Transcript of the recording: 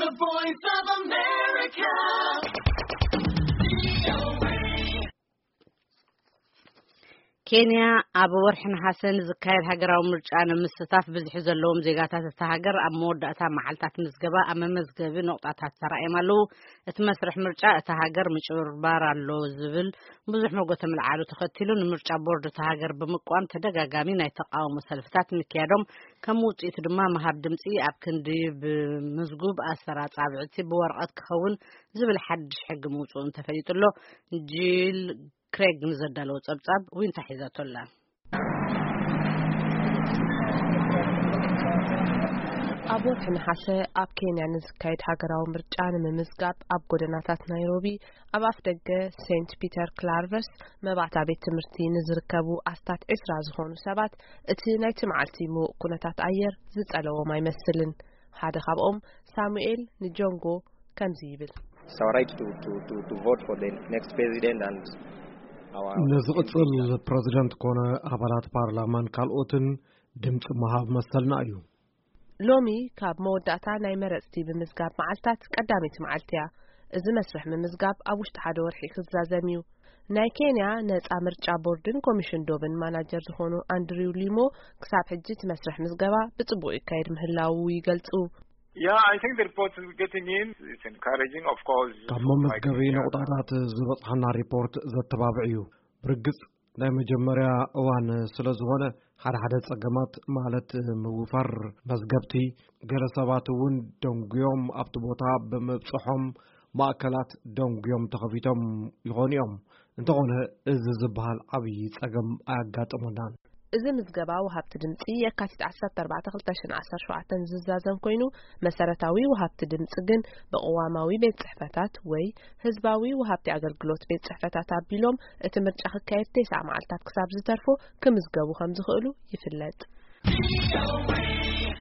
The Voice of America. ኬንያ ኣብ ወርሒ ነሓሰ ንዝካየድ ሃገራዊ ምርጫ ንምስታፍ ብዝሒ ዘለዎም ዜጋታት እታ ሃገር ኣብ መወዳእታ መዓልታት ምዝገባ ኣብ መመዝገቢ ነቑጣታት ተራእዮም ኣለዉ። እቲ መስርሕ ምርጫ እታ ሃገር ምጭብርባር ኣሎ ዝብል ብዙሕ መጎተ ምልዓሉ ተኸቲሉ፣ ንምርጫ ቦርድ እታ ሃገር ብምቋም ተደጋጋሚ ናይ ተቃውሞ ሰልፍታት ምክያዶም፣ ከም ውጽኢቱ ድማ ምሃብ ድምጺ ኣብ ክንዲ ብምዝጉብ ኣሰር ኣጻብዕቲ ብወረቐት ክኸውን ዝብል ሓድሽ ሕጊ ምውጽኡን ተፈሊጡ ኣሎ። ጂል ክሬግ ንዘዳለዎ ጸብጻብ ዊንታ ሒዛቶ ኣላ። ኣብ ወርሒ ነሓሰ ኣብ ኬንያ ንዝካየድ ሃገራዊ ምርጫ ንምምዝጋብ ኣብ ጎደናታት ናይሮቢ፣ ኣብ ኣፍ ደገ ሴንት ፒተር ክላርቨስ መባእታ ቤት ትምህርቲ ንዝርከቡ ኣስታት ዕስራ ዝኾኑ ሰባት እቲ ናይቲ መዓልቲ ምዉቕ ኩነታት ኣየር ዝጸለዎም ኣይመስልን። ሓደ ካብኦም ሳሙኤል ንጆንጎ ከምዚ ይብል። It's our right to, to, to, to vote for the next president and our ነዚ ቅጽል ፕረዚደንት ኮነ ኣባላት ፓርላማን ካልኦትን ድምፂ ምሃብ መሰልና እዩ። ሎሚ ካብ መወዳእታ ናይ መረፅቲ ምምዝጋብ መዓልታት ቀዳመይቲ መዓልቲ እያ። እዚ መስርሕ ምምዝጋብ ኣብ ውሽጢ ሓደ ወርሒ ክዛዘም እዩ። ናይ ኬንያ ነፃ ምርጫ ቦርድን ኮሚሽን ዶብን ማናጀር ዝኾኑ ኣንድሪው ሊሞ ክሳብ ሕጂ እቲ መስርሕ ምዝገባ ብፅቡቅ ይካየድ ምህላዉ ይገልፁ። Yeah, I think the report is getting in. It's encouraging, of course. ካብ መመዝገቢ ነቑጣታት ዝበፅሓና ሪፖርት ዘተባብዕ እዩ። ብርግፅ ናይ መጀመርያ እዋን ስለ ዝኾነ፣ ሓደ ሓደ ጸገማት፣ ማለት ምውፋር መዝገብቲ፣ ገለ ሰባት እውን ደንጉዮም ኣብቲ ቦታ ብምብጽሖም፣ ማእከላት ደንጉዮም ተኸፊቶም ይኾኑ እዮም። እንተኾነ፣ እዚ ዝበሃል ዓብዪ ጸገም ኣያጋጠመናን። እዚ ምዝገባ ወሃብቲ ድምጺ የካቲት ዓሰርተ ኣርባዕተ ክልተ ሽሕን ዓሰርተ ሸውዓተን ዝዛዘም ኮይኑ፣ መሰረታዊ ወሃብቲ ድምጺ ግን ብቅዋማዊ ቤት ጽሕፈታት ወይ ህዝባዊ ወሃብቲ ኣገልግሎት ቤት ጽሕፈታት ኣቢሎም፣ እቲ ምርጫ ክካየድ ተስዓ መዓልታት ክሳብ ዝተርፎ ክምዝገቡ ከም ዝኽእሉ ይፍለጥ።